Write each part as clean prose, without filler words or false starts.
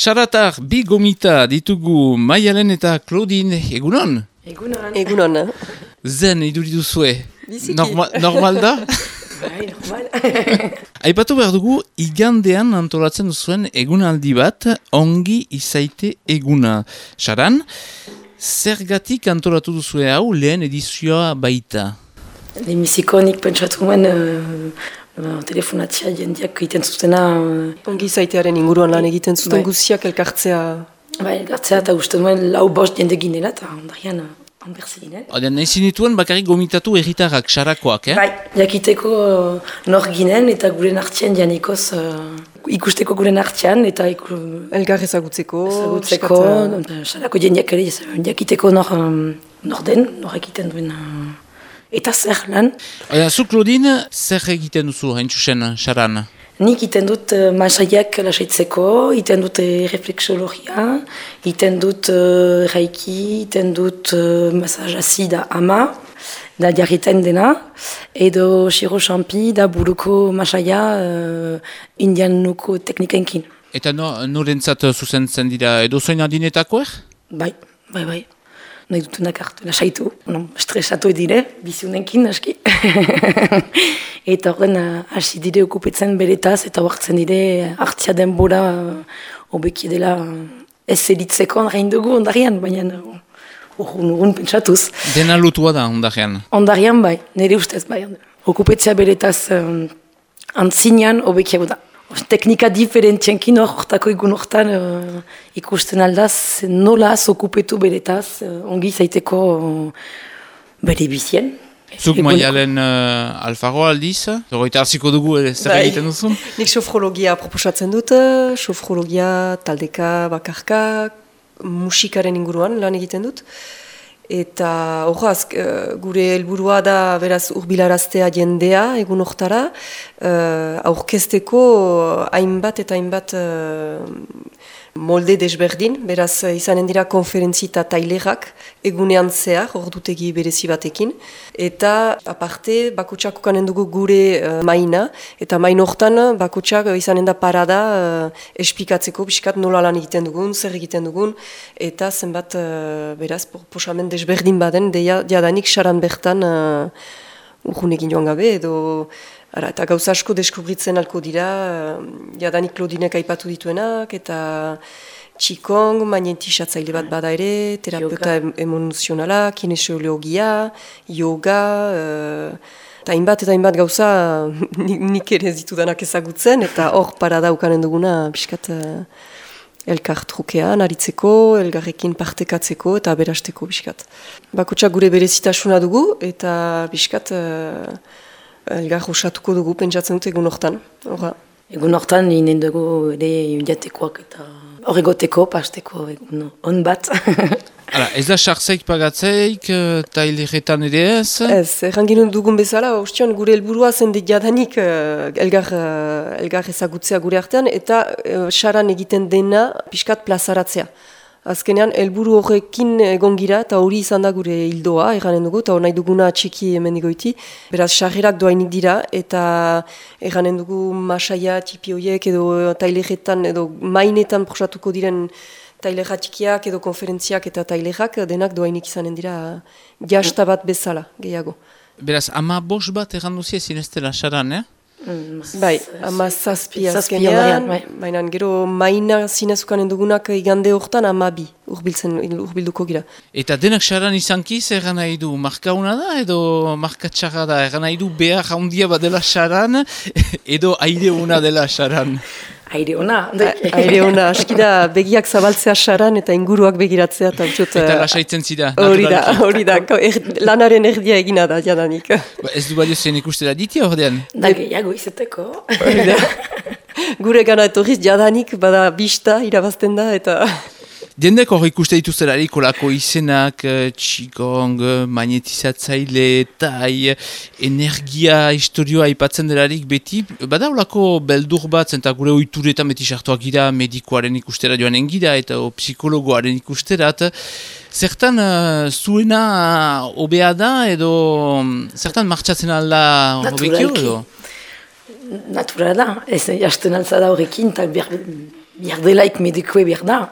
Saratar, bi gomita ditugu Maialen eta Claudine, egunon? Egunon. Zen, iduritu zue. Biziki. Normal da? Bai, normal. Aipatu behar dugu, igandean antolatzen duzuen egunaldi bat, ongi izaite eguna. Saran, zergatik antolatu duzue hau lehen edizioa baita? Lemiziko nik pentsatu nuen telefonatzea jendeak egiten zutena. Ongi izaitearen inguruan lan egiten zuten guziak elkartzea. Bai, elkartzea eta uste nuen lau bost jende ginela eta ondarian onberze ginen. Odean, nahi zinituen bakarrik gomitatu erritarrak, sarakoak, Bai, jakiteko nor ginen eta guren hartzean janikoz ikusteko guren hartzean eta elgar ezagutzeko. Sarako jendeak ere jakiteko nor den, nor egiten duen. Eta zer lan? Zu, Claudine, zer egiten duzu hain txusen, Saran? Nik iten dut masaiak lasaitzeko, iten dut refleksologia, iten dut reiki, iten dut masajazi da ama, da jarritain dena, edo shiro champi da buruko masaia indianuko teknikenkin. Eta norentzat zuzentzen dira edo zoin adinetakoer? Bai. Nahi dutunak hartu, lasaitu. Stresatu edire, biziunenkin, aski. Eta horren hasi dire okupetzen beretaz, eta hartzen dire hartzia denbora hobeki dela ez elitzeko ondarein dugu ondarian, baina urrun pentsatuz. Dena lutua da ondarian? Ondarian bai, nire ustez bai. Okupetzea beretaz antzinean hobeki da. Teknika diferentzienkin horretako egun horretan ikusten aldaz, nolaz okupetu beretaz, ongi zaiteko bere bizien. Zuk Maialen Alfaro aldiz, zorroita harziko dugu zer egiten duzun? Nik sofrologia proposatzen dut, sofrologia, taldeka, bakarka, musikaren inguruan lan egiten dut. Eta horaz, gure helburua da beraz urbilaraztea jendea egun hortara, aurkezteko hainbat eta hainbat molde desberdin, beraz izanen dira konferentzi eta tailerak egunean zehar, ordutegi berezi batekin, eta aparte bakotxak ukanen dugu gure maina, eta main hortan bakotxak izanen da parada espikatzeko, biskat nola lan egiten dugun, zer egiten dugun, eta zenbat beraz proposamen desberdin baden, jadanik saran bertan urgunekin joan gabe, edo eta gauza asko deskubritzen alko dira, jadanik Claudinek aipatu dituenak, eta Qigong, magnetisatzaile bat bada ere, terapeuta emozionala, kinesiologia, yoga, eta hainbat gauza nik ere ez ditudanak ezagutzen, eta hor parada ukanen duguna, biskat elkar trukean, aritzeko, elgarrekin partekatzeko, eta berasteko, biskat. Bakotxak gure berezitasuna dugu, eta biskat elgar osatuko dugu, pentsatzen dut egun hortan. Egun hortan, inen dugu ere jatekoak eta horregoteko, pasteko egun on bat. Ez da sartzeik pagatzeik, taileretan ere ez? Ez, errangin dugun bezala, ostion gure helburua zen jadanik elgar ezagutzea gure artean, eta saran egiten dena pixkat plazaratzea. Azkenean, helburu horrekin egon gira, eta hori izan da gure hildoa, erranen dugu, eta nahi duguna txiki hemen digoiti. Beraz, sarrerak doainik dira, eta erranen dugu masaia, tipi horiek, edo taileretan, edo mainetan prosatuko diren tailera txikiak, edo konferentziak eta tailerak, denak doainik izanen dira jasta bat bezala, gehiago. Beraz, 15 bat erranduzia zineztela saran, Bai, 17 azkenean, baina gero maina zinezukanen dugunak igande hortan 12 urbilduko gira. Eta denak saran izankiz erran nahi du markauna da edo markatxarra da, erran nahi du behar handia bat dela saran edo aire ona dela saran? Aire ona. Aire ona, aski da begiak zabaltzea saran eta inguruak begiratzea. Eta lasaitzen zida. Hori da, lanaren erdia egina da, jadanik. Ez du badio zen ikustera ditia ordean? Da gehiago izeteko. Gure gana etorriz jadanik, bada bista irabazten da, eta... Diendek hor ikuste dituztelarik olako izenak, Qigong, magnetizatzaile, tai, energia, historioa aipatzen delarik beti. Bada olako beldur bat, zenta gure oituretan beti sartuak gira, medikoaren ikustera joanen gira, eta psikologoaren ikusterat. Zertan zuena obea da, edo zertan martxatzen alda hobekio edo? Naturala da, ez jasten altza da horrekin, eta Biar delaik medikue biar da.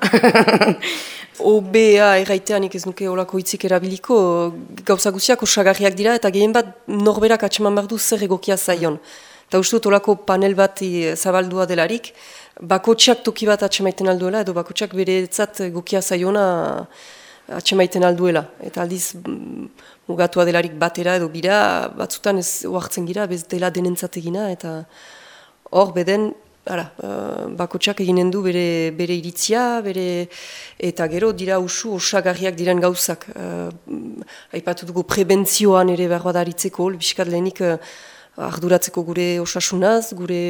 OBA erraiteanik ez nuke olako hitzik erabiliko, gauza guztiak osagarriak dira, eta gehien bat norberak atseman behar du zer egokia zaion. Eta uste dut olako panel bat zabaldua delarik, bakotxak toki bat atsemaiten alduela, edo bakotxak beretzat egokia zaiona atsemaiten alduela. Eta aldiz mugatua delarik batera edo bira, batzutan ez oartzen gira, bez dela denentzat egina, eta hor beden, bakotxak eginen du bere iritzia, eta gero dira usu osagarriak diren gauzak. Aipatu dugu prebentzioan ere behar badaritzeko, biskat lehenik arduratzeko gure osasunaz, gure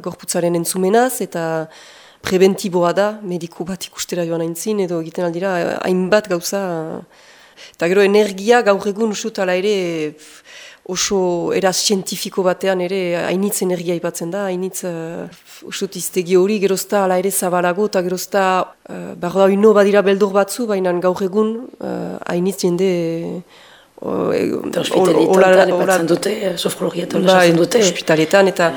gorputzaren entzumenaz, eta prebentiboa da, mediku bat ikustera joan aintzin, edo egiten aldira hainbat gauza. Eta gero energia gaur egun usut ala ere oso eraz zientifiko batean ere hainitz energia ipatzen da, hainitz usut iztegi hori gerozta ala ere zabalago, eta gerozta behar da ino badira beldur batzu, baina gaur egun hainitz jende hospitaletan lepatzen dute, sofrologia eta sartzen dute. Hospitaletan eta...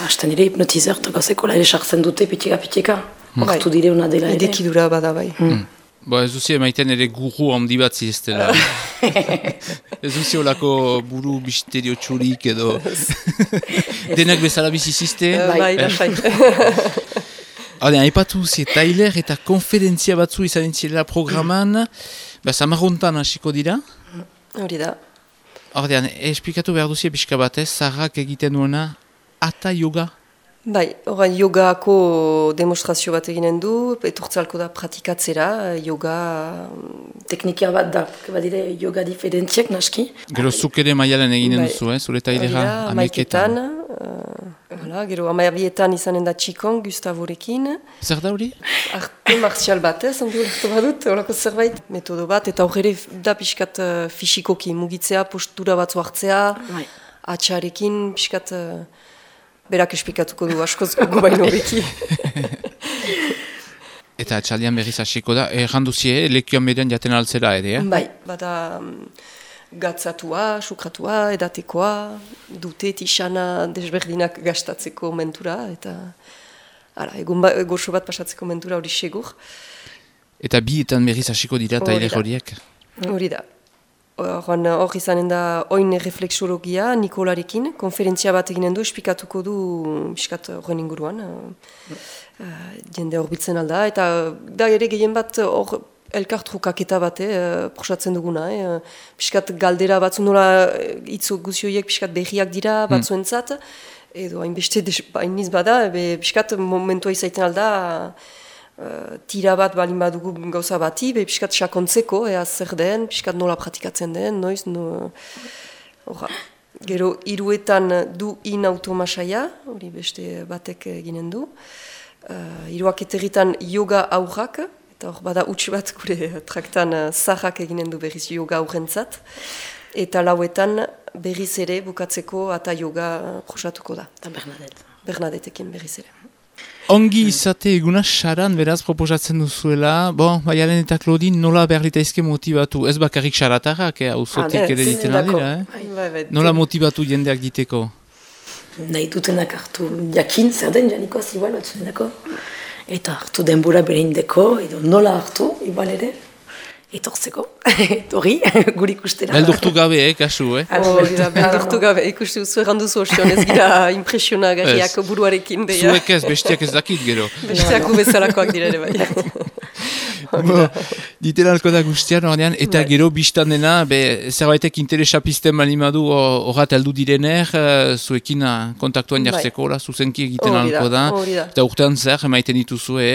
Hasten dire hipnotizer eta gauzeko la ere sartzen dute pitxeka. Hortu dire una dela ere. Edekidura bada bai. Ez duzi emaiten ere guru handi bat ziztela. Ez duzi olako buru misterio txurik edo... Denak bezala bizi zizte? Bai, lasai. Aipatu zi, Tyler eta konferentzia batzu izan entzilera programan, Samarrontan hasiko dira? Hori da. Ordean, esplikatu behar duzia pixka batez, Sarrak egiten duena Hatha yoga? Bai, orain yogako demonstrazio bat eginen du, etortzalko da pratikatzera, yoga... Teknikia bat da, badire yoga diferentziak naski. Gero zuk ere maialen eginen duzu, zure Tailera amaiketan. Gero amabietan izanen da Qigong, Gustavorekin. Zer da hori? Arte martial bat, ondo lertu badut, horako zerbait. Metodo bat, eta horre da pixkat fisikoki, mugitzea, postura batzu hartzea, atxarekin, pixkat... Berak esplikatuko du askoz gugu baino beki. Eta atxaldian berriz hasiko da, erranduzie, lekioan median jaten altzera ere, Bai, bada gatzatua, sukratua, edatekoa, dute tixana desberdinak gastatzeko mentura, eta egun goxo bat pasatzeko mentura hori segur. Eta bietan berriz hasiko dira Tyler horiek? Hori da. Hor izanen da oin refleksologia Nikolarekin, konferentzia bat eginen du, esplikatuko du piskat horren inguruan, jende horbiltzen alda, eta da ere gehien bat hor elkartrukaketa bat, prosatzen duguna, piskat galdera batzu nola hitz guzioiek piskat berriak dira batzuentzat, edo hainbeste hainiz bada, piskat momentua izaiten alda, tira bat balin badugu gauza bati, piskat sakontzeko, zer den, piskat nola pratikatzen den, noiz, gero hiruetan du in automasaia, hori beste batek eginen du, hiruak eterritan yoga aurrak, eta hor bada utx bat gure traktan zaharrak eginen du berriz yoga aurrentzat, eta lauetan berriz ere bukatzeko Hatha yoga prosatuko da. Eta Bernadettekin berriz ere. Ongi izate eguna saran beraz proposatzen duzuela, Maialen eta Claudine nola behar litaizke motibatu, ez bakarrik saratarrak, auzotik ere diten aldera, Nola motibatu jendeak diteko? Nahi dutenak hartu jakin, zer den janikoaz igual batzuenako, eta hartu denbora bere indeko, edo nola hartu, igual ere, etortzeko, etorri, guri ikustera. Beldurtu gabe, kasu, Beldurtu gabe, ikustu zu erranduzu ostion, ez gira impresionagarriak buruarekin. Zuek ez, bestiak ez dakit gero. Bestiak ubezalakoak dira ere bai. Diten alko da guztian, ordean, eta gero biztan dena, zerbaitek interesa pizten balimadu horrat heldu direner, zuekin kontaktuan jartzeko, zuzenki egiten alko da. Eta urtean zer, emaiten dituzue,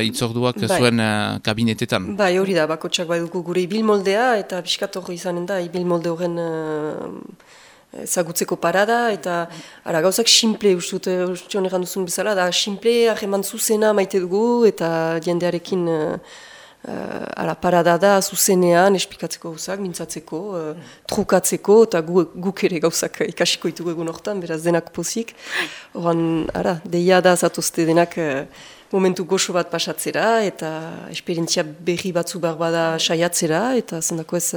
itzorduak zuen kabinetetan. Bai, hori da, bakotxak bai dugu gure ibilmoldea, eta biskat hori izanen da, ibilmolde horren zagutzeko parada, eta gauzak simple, ustion erran duzun bezala, da simple, ahreman zuzena maite dugu, eta jendearekin parada da zuzenean, esplikatzeko gauzak, mintzatzeko, trukatzeko, eta guk ere gauzak ikasiko ditugu egun hortan, beraz denak pozik. Horan, deia da zatozte denak momentu goxo bat pasatzera, eta esperientzia berri batzu bada saiatzera, eta zendako ez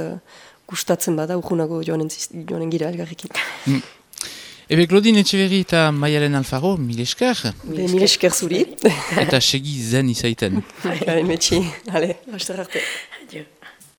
gustatzen bada, urgunago joanen gira elgarrekin. Ebe, Claudine Etxeberri eta Maialen Alfaro, mil esker. Mil esker zuri. Eta segi zen izaiten. Garen metxi, ale, haster arte. Adio.